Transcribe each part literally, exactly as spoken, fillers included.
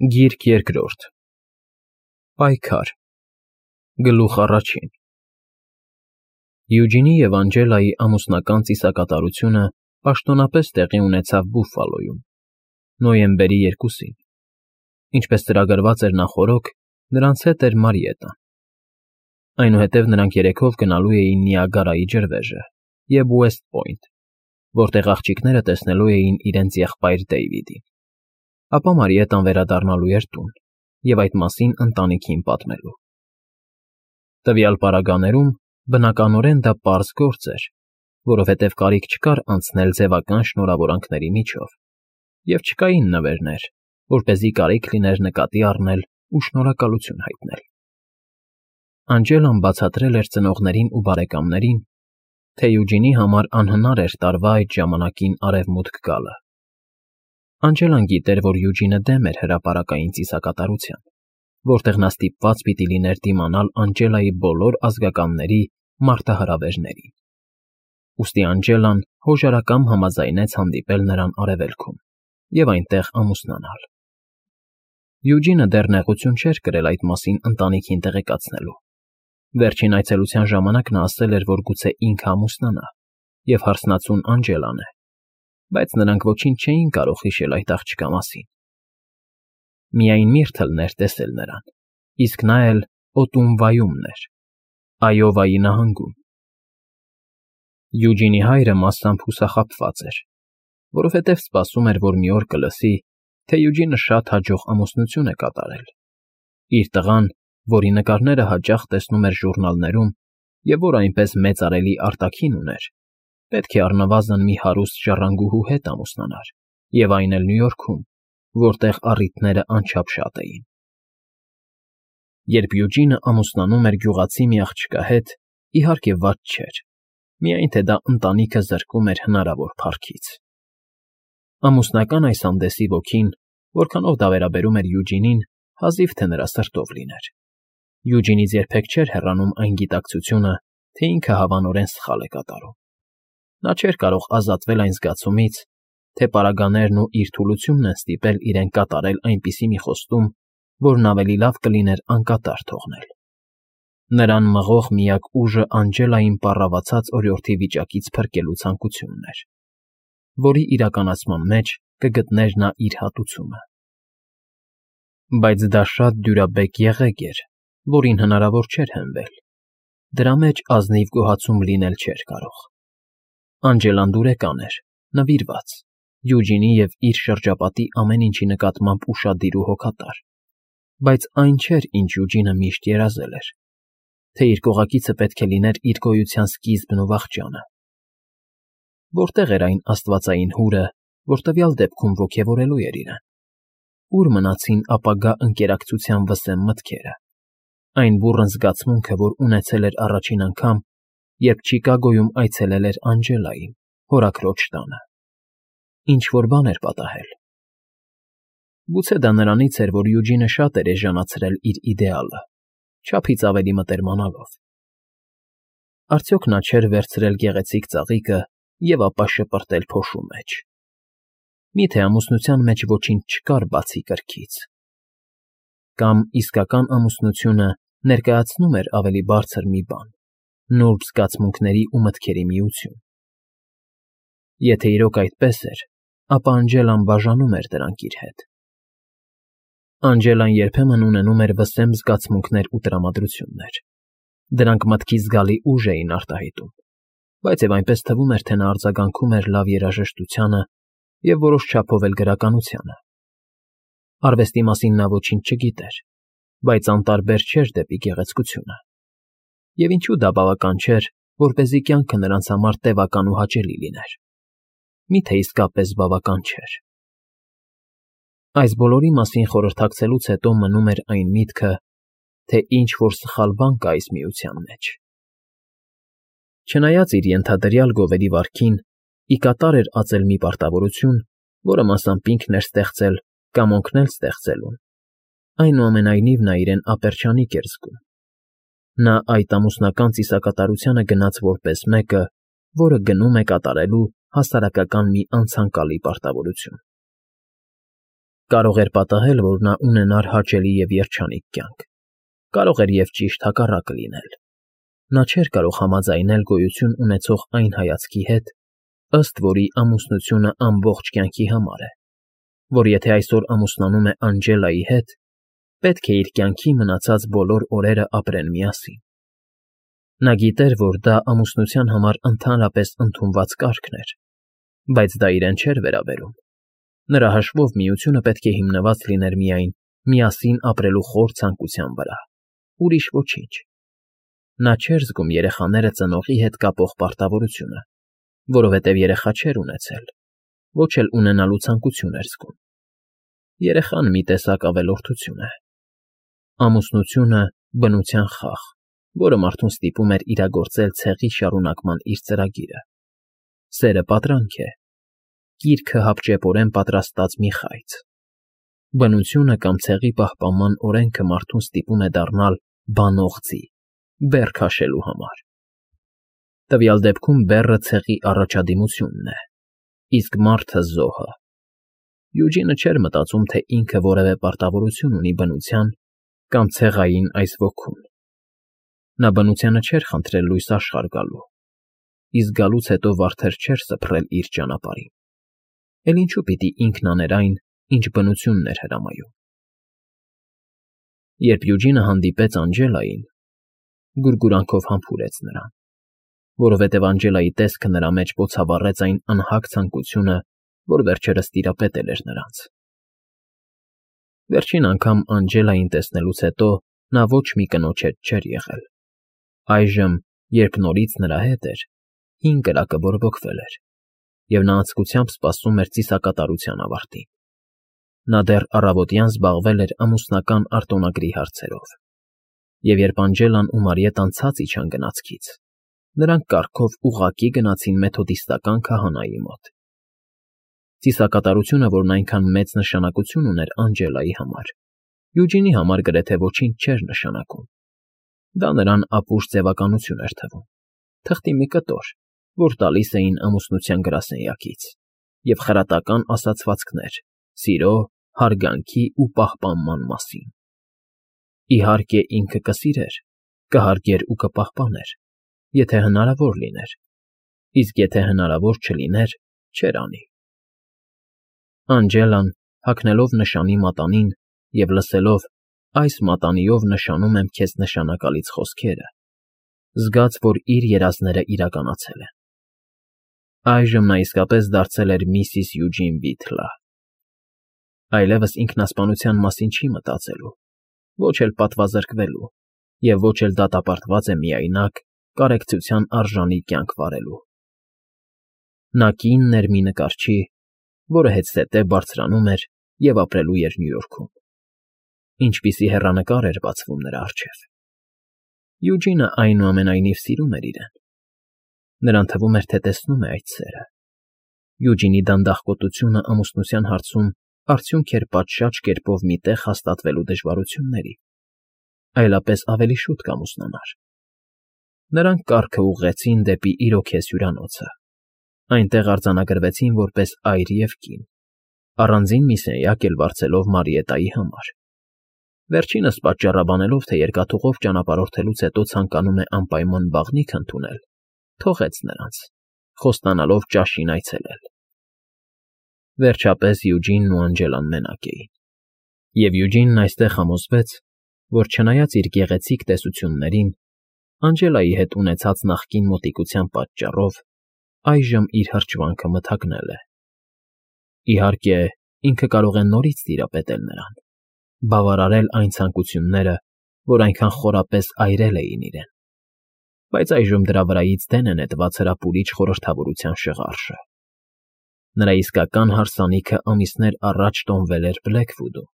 Գիրք երկրորդ Պայքար Գլուխ առաջին Յուջինի և Անգելայի ամուսնական ծիսակատարությունը պաշտոնապես տեղի ունեցավ Բուֆֆալոյում, նոյեմբերի երկուսին. ինչպես ծրագրված էր նախօրոք, նրանց հետ էր Մարիետան. այնուհետև նրանք երեքով գնալու էին Նիագարայի ջրվեժը և Ուեսթ Պոինթ, որտեղ աղջիկները տեսնելու էին իրենց եղբայր Դեյվիդին, ապա Մարիետան վերադառնալու էր տուն և այդ մասին ընտանիքին պատմելու։ Տվյալ պարագաներում, բնականորեն, դա պարզ գործ էր, որովհետև կարիք չկար անցնել ձևական շնորհավորանքների միջով, և չկային նվերներ, որպեսզի կարիք լիներ նկատի առնել ու շնորհակալություն հայտնել։ Անգելան բացատրել էր ծնողներին ու բարեկամներին, թե Յուջինի համար անհնար էր տարվա այդ ժամանակին արևմուտք գալը։ Անգելան գիտեր, որ Յուջինը դեմ էր հրապարակային ծիսակատարության, որտեղ նա ստիպված պիտի լիներ դիմանալ Անգելայի բոլոր ազգականների մարտահրավերներին։ Ուստի Անգելան հոժարակամ համաձայնեց հանդիպել նրան արևելքում և այնտեղ ամուսնանալ։ Յուջինը դեռ նեղություն չէր կրել այդ մասին ընտանիքին տեղեկացնելու։ Վերջին այցելության ժամանակ նա ասել էր, որ գուցե ինքը ամուսնանա, և հարսնացուն Անգելան է, բայց նրանք ոչինչ չէին կարող հիշել այդ աղջկա մասին։ Միայն Միրթլն էր տեսել նրան, իսկ նա էլ Օտումվայումն էր, Այովայի նահանգում։ Յուջինի հայրը մասամբ հուսախաբված էր, որովհետև սպասում էր, որ մի օր կլսի, թե Յուջինը շատ հաջող ամուսնություն է կատարել։ Իր տղան, որի նկարները հաճախ տեսնում էր ժուռնալներում և որ այնպես մեծարելի արտաքին ուներ, պետք է առնվազն մի հարուստ ժառանգուհու հետ ամուսնանար, և այն էլ Նյու Յորքում, որտեղ առիթները անչափ շատ էին։ Երբ Յուջինը ամուսնանում էր գյուղացի մի աղջկա հետ, իհարկե վատ չէր, միայն թե դա ընտանիքը զրկում էր հնարավոր փառքից։ Ամուսնական այս հանդեսի ոգին, որքանով դա վերաբերում էր Յուջինին, հազիվ թե նրա սրտով լիներ։ Յուջինից երբեք չէր հեռանում այն գիտակցությունը, թե ինքը հավանորեն սխալ է կատարում։ Նա չէր կարող ազատվել այն զգացումից, թե պարագաներն ու իր թուլությունն են ստիպել իրեն կատարել այնպիսի մի խոստում, որն ավելի լավ կլիներ անկատար թողնել։ Նրան մղող միակ ուժը Անգելային պառավացած օրիորդի վիճակից փրկելու ցանկությունն էր, որի իրականացման մեջ կգտներ նա իր հատուցումը։ Բայց դա շատ դյուրաբեկ եղեգ էր, որին հնարավոր չէր հենվել։ Դրա մեջ ազնիվ գոհացում լինել չէր կարող։ Անգելան դուրեկան էր, նվիրված, Յուջինի և իր շրջապատի ամեն ինչի նկատմամբ ուշադիր ու հոգատար, բայց այն չէր, ինչ Յուջինը միշտ երազել էր, թե իր կողակիցը պետք է լիներ իր գոյության սկիզբն ու վախճանը։ Որտե՞ղ էր այն աստվածային հուրը, որ տվյալ դեպքում ոգևորելու էր իրեն։ Ո՞ւր մնացին ապագա ընկերակցության վսեմ մտքերը, այն բուռն զգացմունքը, որ ունեցել էր առաջին անգամ, երբ Չիկագոյում այցելել էր Անգելային, հորաքրոջ տանը։ Ինչ֊որ բան էր պատահել։ Գուցե դա նրանից էր, որ Յուջինը շատ էր էժանացրել իր իդեալը, չափից ավելի մտերմանալով։ Արդյոք նա չէր վերցրել գեղեցիկ ծաղիկը և ապա շպրտել փոշու մեջ։ Մի՞թե ամուսնության մեջ ոչինչ չկար բացի կրքից։ Կամ իսկական ամուսնությունը ներկայացնում էր ավելի բարձր մի բան՝ նուրբ զգացմունքների ու մտքերի միություն։ Եթե իրոք այդպես էր, ապա Անգելան բաժանում էր դրանք իր հետ։ Անգելան երբեմն ունենում էր վսեմ զգացմունքներ ու տրամադրություններ։ Դրանք մտքի զգալի ուժ էին արտահայտում, բայց և այնպես թվում էր, թե նա արձագանքում էր լավ երաժշտությանը և որոշ չափով էլ գրականությանը։ Արվեստի մասին նա ոչինչ չգիտեր, բայց անտարբեր չէր դեպի գեղեցկությունը։ Եվ ինչու դա բավական չէր, որպեսզի կյանքը նրանց համար տևական ու հաճելի լիներ։ Մի՞թե իսկապես բավական չէր։ Այս բոլորի մասին խորհրդակցելուց հետո մնում էր այն միտքը, թե ինչ֊որ սխալ բան կա այս միության մեջ։ Չնայած իր ենթադրյալ գովերի վարքին, ի կատար էր ածել մի պարտավորություն, որը մասամբ ինքն էր ստեղծել կամ օգնել ստեղծելուն, այնուամենայնիվ նա իրեն ապերչանիկ էր զգում։ Նա այդ ամուսնական ծիսակատարությանը գնաց որպես մեկը, որը գնում է կատարելու հասարակական մի անցանկալի պարտավորություն։ Կարող էր պատահել, որ նա ունենար հաճելի և երջանիկ կյանք, կարող էր և ճիշտ հակառակը լինել. նա չէր կարող համաձայնել գոյություն ունեցող այն հայացքի հետ, ըստ որի ամուսնությունը ամբողջ կյանքի համար է, որ եթե այսօր ամուսնանում է Անջելայի հետ, պետք է իր կյանքի մնացած բոլոր օրերը ապրեն միասին։ Նա գիտեր, որ դա ամուսնության համար ընդհանրապես ընդունված կարգն էր, բայց դա իրեն չէր վերաբերում։ Նրա հաշվով միությունը պետք է հիմնված լիներ միայն միասին ապրելու խոր ցանկության վրա, ուրիշ ոչինչ։ Նա չէր զգում երեխաները ծնողի հետ կապող պարտավորությունը, որովհետև երեխա չէր ունեցել, ոչ էլ ունենալու ցանկություն էր զգում։ Երեխան մի տեսակ ավելորդություն է։ Ամուսնությունը բնության խաղ, որը մարդուն ստիպում էր իրագործել ցեղի շարունակման իր ծրագիրը։ Սերը պատրանք է, կիրքը հապճեպորեն պատրաստած մի խայծ։ Բնությունը կամ ցեղի պահպանման օրենքը մարդուն ստիպում է դառնալ բանող ձի, բեռ քաշելու համար։ Տվյալ դեպքում բեռը ցեղի առաջադիմությունն է, իսկ մարդը զոհը։ Յուջինը չէր մտածում, թե ինքը որևէ պարտավորություն ունի բնության կամ ցեղային այս ոգուն։ Նա բնությանը չէր խնդրել լույս աշխարհ գալու, իսկ գալուց հետո վարդեր չէր սփռել իր ճանապարհին, էլ ինչու պիտի ինքն աներ այն, ինչ բնությունն էր հրամայում։ Երբ Յուջինը հանդիպեց Անջելային, գուրգուրանքով համբուրեց նրան, որովհետև Անջելայի տեսքը նրա մեջ բոցավառեց այն անհագ ցանկությունը, որ վերջերս տիրապետել էր նրանց։ Վերջին անգամ Անջելային տեսնելուց հետո նա ոչ մի կնոջ հետ չէր եղել։ Այժմ, երբ նորից նրա հետ էր, հին կրակը բորբոքվել էր, և նա անձկությամբ սպասում էր ծիսակատարության ավարտին։ Նա դեռ առավոտյան զբաղվել էր ամուսնական արտոնագրի հարցերով, և երբ Անջելան ու Մարիետան ցած իջան գնացքից, նրանք կառքով ուղղակի գնացին մեթոդիստական քահանայի մոտ։ Ծիսակատարությունը, որն այնքան մեծ նշանակություն ուներ Անջելայի համար, Յուջինի համար գրեթե ոչինչ չէր նշանակում։ Դա նրան ապուշ ձևականություն էր թվում, թղթի մի կտոր, որ տալիս էին ամուսնության գրասենյակից, և խրատական ասացվածքներ սիրո, հարգանքի ու պահպանման մասին։ Իհարկե, ինքը կսիրեր, կհարգեր ու կպահպաներ, եթե հնարավոր լիներ, իսկ եթե հնարավոր չլիներ, չէր անի։ Անջելան, հագնելով նշանի մատանին և լսելով «Այս մատանիով նշանում եմ քեզ» նշանակալից խոսքերը, զգաց, որ իր երազները իրականացել են։ Այժմ նա իսկապես դարձել էր միսիս Յուջին Վիթլը։ Այլևս ինքնասպանության մասին չի մտածելու, ոչ էլ պատվազրկվելու և ոչ էլ դատապարտված է միայնակ, կարեկցության արժանի կյանք վարելու։ Նա կինն էր մի նկարչի, որը հետզհետե բարձրանում էր և ապրելու էր Նյու Յորքում։ Ինչպիսի հեռանկար էր բացվում նրա առջև։ Յուջինը, այնուամենայնիվ, սիրում էր իրեն։ Նրան թվում էր, թե տեսնում է այդ սերը։ Յուջինի դանդաղկոտությունը ամուսնության հարցում արդյունք էր պատշաճ կերպով մի տեղ հաստատվելու դժվարությունների, այլապես ավելի շուտ կամուսնանար։ Նրանք կառքը ուղղեցին դեպի իրոքեզ հյուրանոցը, այնտեղ արձանագրվեցին որպես այր և կին, առանձին մի սենյակ էլ վարձելով Մարիետայի համար։ Վերջինս պատճառաբանելով, թե երկաթուղով ճանապարհորդելուց հետո ցանկանում է անպայման բաղնիք ընդունել, թողեց նրանց, խոստանալով ճաշին այցելել։ Վերջապես Յուջինն ու Անջելան մենակ էին, և Յուջինն այստեղ համոզվեց, որ չնայած իր գեղեցիկ տեսություններին, Անջելայի հետ ունեցած նախկին մոտիկության պատճառով այժմ իր հրճվանքը մթագնել է։ Իհարկե, ինքը կարող է նորից տիրապետել նրան, բավարարել այն ցանկությունները, որ այնքան խորապես այրել էին իրեն, բայց այժմ դրա վրայից դեն է նետված հրապուրիչ խորհրդավորության շղարշը։ Նրա իսկական հարսանիքը ամիսներ առաջ տոնվել էր Բլեքվուդում,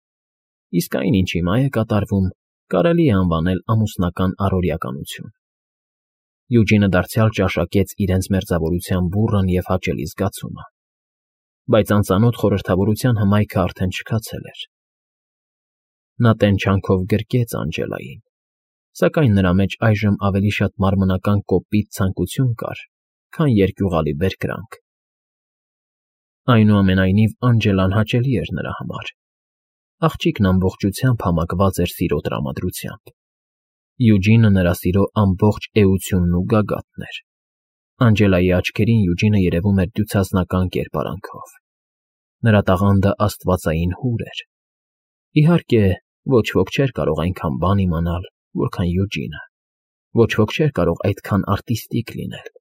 իսկ այն, ինչ հիմա է կատարվում, կարելի է անվանել ամուսնական առօրեականություն։ Յուջինը դարձյալ ճաշակեց իրենց մերձավորության բուռն և հաճելի զգացումը, բայց անծանոթ խորհրդավորության հմայքը արդեն չքացել էր։ Նա տենչանքով գրկեց Անջելային, սակայն նրա մեջ այժմ ավելի շատ մարմնական կոպիտ ցանկություն կար, քան երկյուղալի բերկրանք։ Այնուամենայնիվ Անջելան հաճելի էր նրա համար, Աղջիկն ամբողջությամբ համակված էր սիրո տրամադրությամբ։ Յուջինը նրա սիրո ամբողջ էությունն ու գագաթն էր։ Անջելայի աչքերին Յուջինը երևում էր դյուցազնական կերպարանքով։ Նրա տաղանդը աստվածային հուր էր։ Իհարկե, ոչ ոք չէր կարող այնքան բան իմանալ, որքան Յուջինը։ Ոչ ոք չէր կարող այդքան արտիստիկ լինել։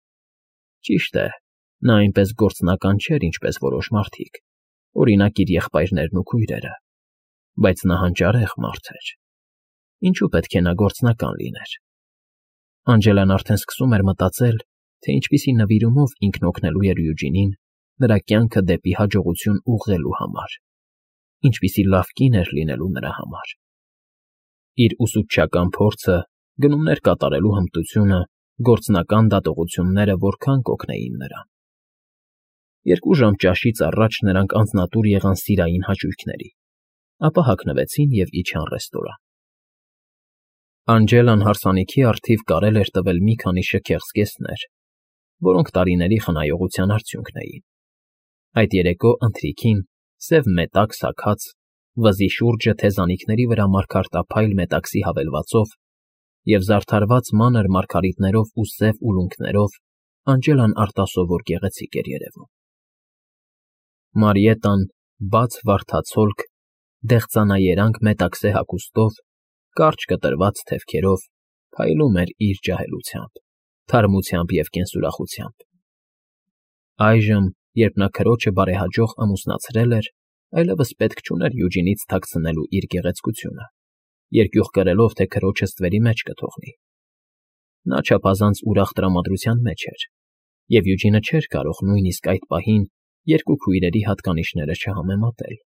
Ճիշտ է, նա այնպես գործնական չէր, ինչպես որոշ մարդիկ, օրինակ իր եղբայրներն ու քույրերը, բայց նա հանճարեղ մարդ էր։ Ինչու պետք է նա գործնական լիներ։ Անջելան արդեն սկսում էր մտածել, թե ինչպիսի նվիրումով ինքն օգնելու էր Յուջինին նրա կյանքը դեպի հաջողություն ուղղելու համար, ինչպիսի լավ կին էր լինելու նրա համար։ Իր ուսուցչական փորձը, գնումներ կատարելու հմտությունը, գործնական դատողությունները որքան կօգնեին նրան։ Երկու ժամ ճաշից առաջ նրանք անձնատուր եղան սիրային հաճույքների, ապա հագնվեցին և իջան ռեստորան։ Անջելան հարսանիքի առթիվ կարել էր տվել մի քանի շքեղ զգեստներ, որոնք տարիների խնայողության արդյունքն էին։ Այդ երեկո ընթրիքին, սև մետակ սաքած, վզի շուրջը թեզանիքների վրա մարգարտափայլ մետաքսի հավելվածով և զարդարված մանր մարգարիտներով ու սև ուլունքներով Անջելան արտասովոր գեղեցիկ էր երևում։ Մարիետան, բաց վարդացոլք, դեղծանաերանգ մետաքսե հագուստով, կարճ կտրված թևքերով փայլում էր իր ջահելությամբ, թարմությամբ և կենսուրախությամբ։ Այժմ, երբ նա քրոջը բարեհաջող ամուսնացրել էր, այլևս պետք չուներ Յուջինից թաքցնելու իր գեղեցկությունը, երկյուղ կրելով, թե քրոջը ստվերի մեջ կթողնի։ Նա չափազանց ուրախ տրամադրության մեջ էր, և Յուջինը չէր կարող նույնիսկ այդ պահին երկու քույրերի հատկանիշները չհամեմատել։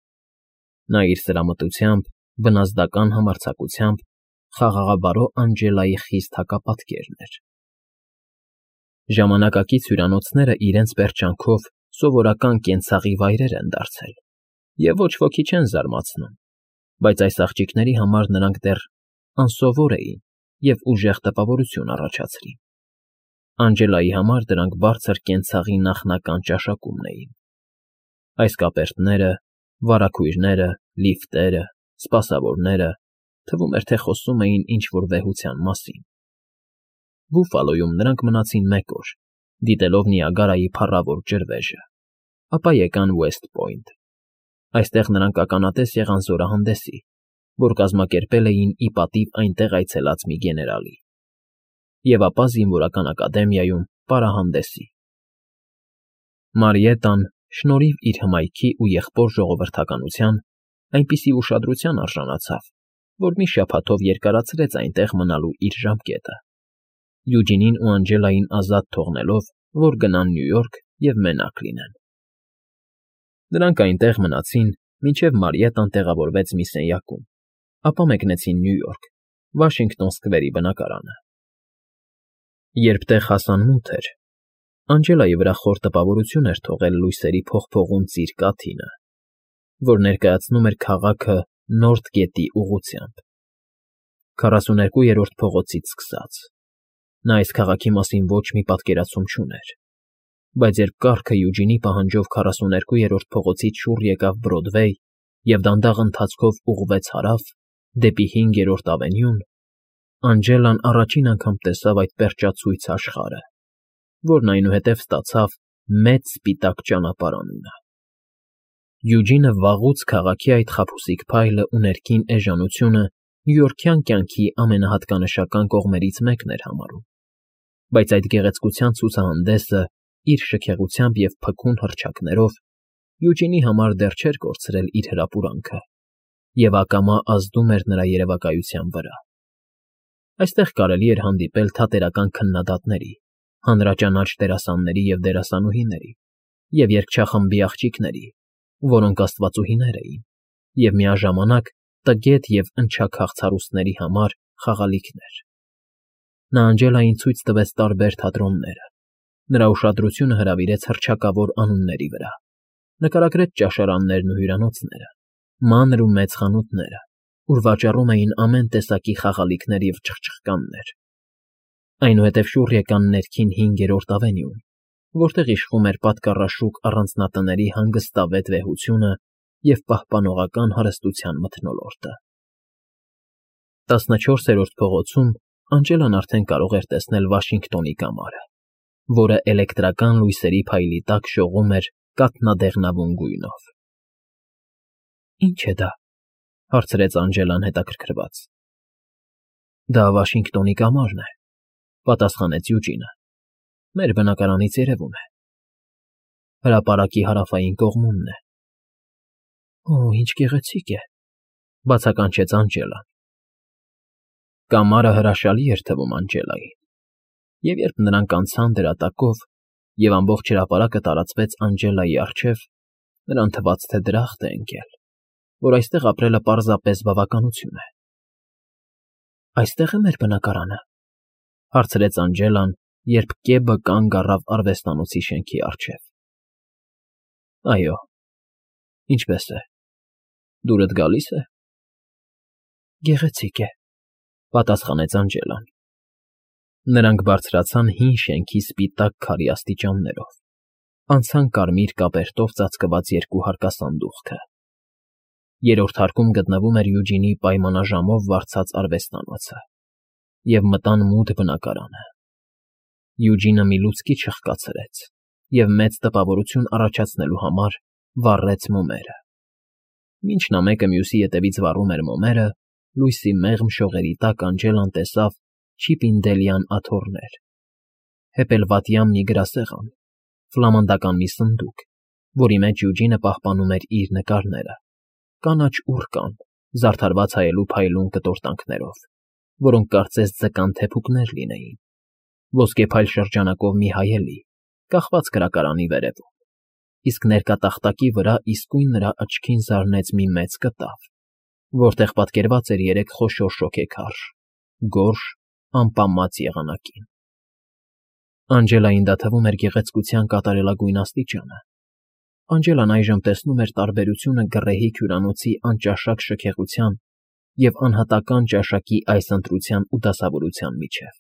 Նա իր սրամտությամբ, բնազդական համարձակությամբ խաղաղաբարո Անջելայի խիստ հակապատկերն էր։ Ժամանակակից հյուրանոցները իրենց պերճանքով սովորական կենցաղի վայրեր են դարձել, և ոչ ոքի չեն զարմացնում, բայց այս աղջիկների համար նրանք դեռ անսովոր էին և ուժեղ տպավորություն առաջացրին։ Անջելայի համար դրանք բարձր կենցաղի նախնական ճաշակումն էին։ Այս կապերտները, վարագույրները, լիֆտերը, սպասավորները, թվում էր, թե խոսում էին ինչ֊որ վեհության մասին։ Բուֆալոյում նրանք մնացին մեկ օր, դիտելով Նիագարայի փառավոր ջրվեժը, ապա եկան Ուեսթ Պոինթ։ Այստեղ նրանք ականատես եղան զորահանդեսի, որ կազմակերպել էին ի պատիվ այնտեղ այցելած մի գեներալի, և ապա զինվորական ակադեմիայում պարահանդեսի։ Մարիետան, շնորհիվ իր հմայքի ու եղբոր ժողովրդականության, այնպիսի ուշադրության արժանացավ, որ մի շաբաթով երկարացրեց այնտեղ մնալու իր ժամկետը, Յուջինին ու Անջելային ազատ թողնելով, որ գնան Նյու Յորք և մենակ լինեն։ Նրանք այնտեղ մնացին, մինչև Մարիետան տեղավորվեց մի սենյակում, ապա մեկնեցին Նյու Յորք, Վաշինգտոն Սքվերի բնակարանը։ Երբ տեղ հասան մութ էր, Անջելայի վրա խոր տպավորություն էր թողել լույսերի փողփողուն ծիր կաթիլը, որ ներկայացնում էր քաղաքը Նորթ Գետի ուղղությամբ, քառասուներկուերորդ փողոցից սկսած։ Նա այս քաղաքի մասին ոչ մի պատկերացում չուներ, բայց երբ կառքը Յուջինի պահանջով քառասուներկուերորդ փողոցից շուռ եկավ Բրոդվեյ և դանդաղ ընթացքով ուղղվեց հարավ, դեպի հինգերորդ ավենյուն, Անջելան առաջին անգամ տեսավ այդ պերճացույց աշխարհը, որն այնուհետև ստացավ Մեծ Սպիտակ Ճանապարհ անունը։ Յուջինը վաղուց քաղաքի այդ խաբուսիկ փայլը ու ներքին էժանությունը նյույորքյան կյանքի ամենահատկանշական կողմերից մեկն էր համարում, բայց այդ գեղեցկության ցուցահանդեսը իր շքեղությամբ և փքուն հռչակներով Յուջինի համար դեռ չէր կորցրել իր հրապուրանքը և ակամա ազդում էր նրա երևակայության վրա։ Այստեղ կարելի էր հանդիպել թատերական քննադատների, հանրաճանաչ դերասանների և դերասանուհիների և երգչախմբի աղջիկների, որոնք աստվածուհիներ էին, և միաժամանակ տգետ և ընչաքաղց հարուստների համար խաղալիքներ։ Նա Անջելային ցույց տվեց տարբեր թատրոնները, նրա ուշադրությունը հրավիրեց հռչակավոր անունների վրա, նկարագրեց ճաշարաններն ու հյուրանոցները, մանր ու մեծ խանութները, ուր վաճառում էին ամեն տեսակի խաղալիքներ և չխչխկաններ։ Այնուհետև շուռ եկան ներքին հինգերորդ ավենյուն, որտեղ իշխում էր պատկառաշուկ առանձնատների հանգստավետ վեհությունը և պահպանողական հարստության մթնոլորտը։ Տասնչորսերորդ փողոցում Անջելան արդեն կարող էր տեսնել Վաշինգտոնի կամարը, որը էլեկտրական լույսերի փայլի տակ շողում էր կաթնադեղնավուն գույնով։ ֊ Ի՞նչ է դա,֊ հարցրեց Անջելան հետաքրքրված։ ֊ Դա Վաշինգտոնի կամարն է,֊ պատասխանեց Յուջինը,֊ մեր բնակարանից երևում է։ Հրապարակի հարավային կողմումն է։ ֊ Օ, ինչ գեղեցիկ է,֊ բացականչեց Անջելան։ Կամարը հրաշալի էր թվում Անջելային, և երբ նրանք անցան դրա տակով, և ամբողջ հրապարակը տարածվեց Անջելայի առջև, նրան թվաց, թե դրախտ է ընկել, որ այստեղ ապրելը պարզապես բավականություն է։ ֊ Այստե՞ղ է մեր բնակարանը,֊ հարցրեց Անջելան, երբ կեբը կանգ առավ արվեստանոցի շենքի առջև։ ֊ Այո։ Ինչպե՞ս է, դուրդ գալի՞ս է։ ֊ Գեղեցիկ է,֊ պատասխանեց Անջելան։ Նրանք բարձրացան հին շենքի սպիտակ քարի աստիճաններով, անցան կարմիր կապերտով ծածկված երկու հարկասանդուղքը։ Երրորդ հարկում գտնվում էր Յուջինի պայմանաժամով վարձած արվեստանոցը, և մտան մութ բնակարանը։ Յուջինը մի լուցկի չխկացրեց և մեծ տպավորություն առաջացնելու համար վառեց մոմերը։ Մինչ նա մեկը մյուսի ետևից վառում էր մոմերը, լույսի մեղմ շողերի տակ Անջելան տեսավ չիպինդելյան աթոռներ, հեպելվատյան մի գրասեղան, ֆլամանդական մի սնդուկ, որի մեջ Յուջինը պահպանում էր իր նկարները, կանաչ ուռկան, զարդարված հայելու փայլուն կտորտանքներով, որոնք կարծես ձկան թեփուկներ լինեին, ոսկեփայլ շրջանակով մի հայելի, կախված կրակարանի վերևում, իսկ ներկա տախտակի վրա իսկույն նրա աչքին զարնեց մի մեծ կտավ, որտեղ պատկերված էր երեք խոշոր շոգեքարշ, գորշ, ամպամած եղանակին։ Անջելային դա թվում էր գեղեցկության կատարելագույն աստիճանը։ Անջելան այժմ տեսնում էր տարբերությունը գռեհիկ հյուրանոցի անճաշակ շքեղության և անհատական ճաշակի այս ընտրության ու դասավորության միջև։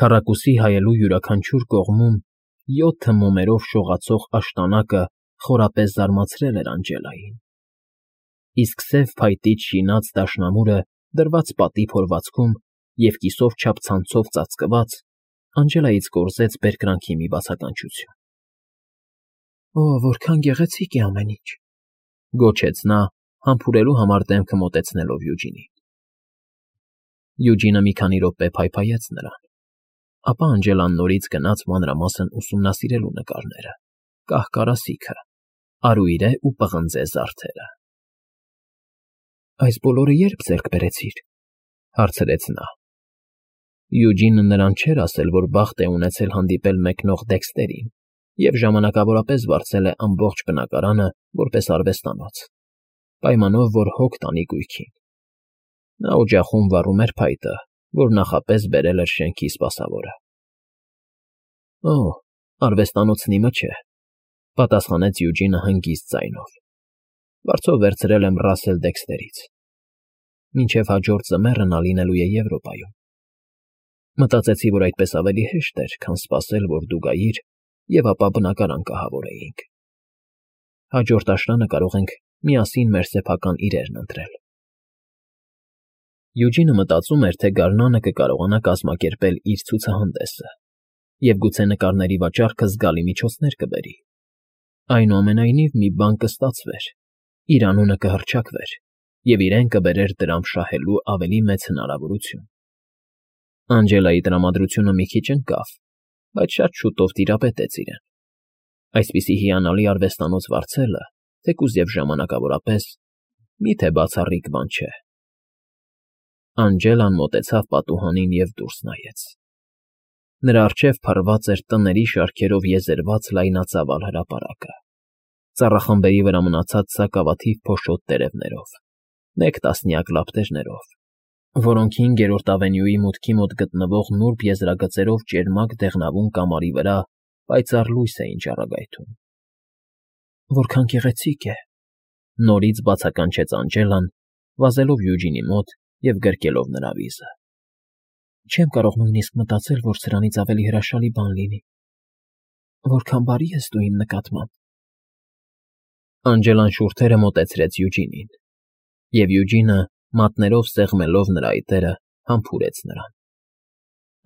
Քառակուսի հայելու յուրաքանչյուր կողմում յոթը մոմերով շողացող աշտանակը խորապես զարմացրել էր Անջելային, իսկ սև փայտից շինած դաշնամուրը դրված պատի փորվածքում և կիսով չափ ցանցով ծածկված, Անջելայից կորզեց բերկրանքի մի բացականչություն։ ֊ Օ, որքան գեղեցիկ է ամեն ինչ,֊ գոչեց նա, համբուրելու համար դեմքը մոտեցնելով Յուջինին։ Յուջինը մի քանի րոպե փայփայեց նրան, ապա Անջելան նորից գնաց մանրամասն ուսումնասիրելու նկարները, կահ֊կարասիքը, արուիրե ու պղնձե զարդերը։ ֊ Այս բոլորը ե՞րբ ձեռք բերեցիր,֊ հարցրեց նա։ Յուջինը նրան չէր ասել, որ բախտ է ունեցել հանդիպել մեկնող Դեքստերին և ժամանակավորապես վարձել է ամբողջ բնակարանը որպես արվեստանոց, պայմանով, որ հոգ տանի կույքին։ Նա օջախում վառում էր փայտը, որ նախապես բերել էր շենքի սպասավորը։ ֊ Օ, արվեստանոցն իմը չէ,֊ պատասխանեց Յուջինը հանգիստ ձայնով,֊ վարձով վերցրել եմ Ռասել Դեքստերից։ Մինչև հաջորդ ձմեռը նա լինելու է Եվրոպայում։ Մտածեցի, որ այդպես ավելի հեշտ էր, քան սպասել, որ դու գայիր, և ապա բնակարան կահավորեինք։ Հաջորդ աշնանը կարող ենք միասին մեր սեփական իրերն ընտրել։ Յուջինը մտածում էր, թե գարնանը կկարողանա կազմակերպել իր ցուցահանդեսը և գուցե նկարների վաճառքը զգալի միջոցներ կբերի։ Այնուամենայնիվ, մի բան կստացվեր, իր անունը կհռչակվեր, և իրեն կբերեր դրամ շահելու ավելի մեծ հնարավորություն։ Անջելայի տրամադրությունը մի քիչ ընկավ, բայց շատ շուտով տիրապետեց իրեն։ Այսպիսի հիանալի արվեստանոց վարձելը, թեկուզ և ժամանակավորապես, մի՞թե բացառիկ բան չէ։ Անջելան մոտեցավ պատուհանին և դուրս նայեց։ Նրա առջև փռված էր տների շարքերով եզերված լայնածավալ հրապարակը, ծառախմբերի վրա մնացած սակավաթիվ փոշոտ տերևներով, մեկ տասնյակ լապտերներով, որոնք Հինգերորդ ավենյուի մուտքի մոտ գտնվող նուրբ եզրագծերով ճերմակ դեղնավուն կամարի վրա պայծառ լույս էին ճառագայթում։ ֊ Որքան գեղեցիկ է,֊ նորից բացականչեց Անջելան, վազելով Յուջինի մոտ և գրկելով նրա վիզը։ Չեմ կարող նույնիսկ մտածել, որ սրանից ավելի հրաշալի բան լինի։ Որքան բարի ես դու իմ նկատմամբ։ Անջելան շուրթերը մոտեցրեց Յուջինին, և Յուջինը, մատներով սեղմելով նրա այտերը, համբուրեց նրան։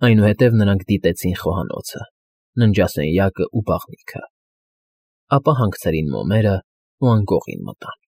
Այնուհետև նրանք դիտեցին խոհանոցը, ննջասենյակն ու բաղնիքը, ապա հանգցրին մոմերն ու անկողին մտան։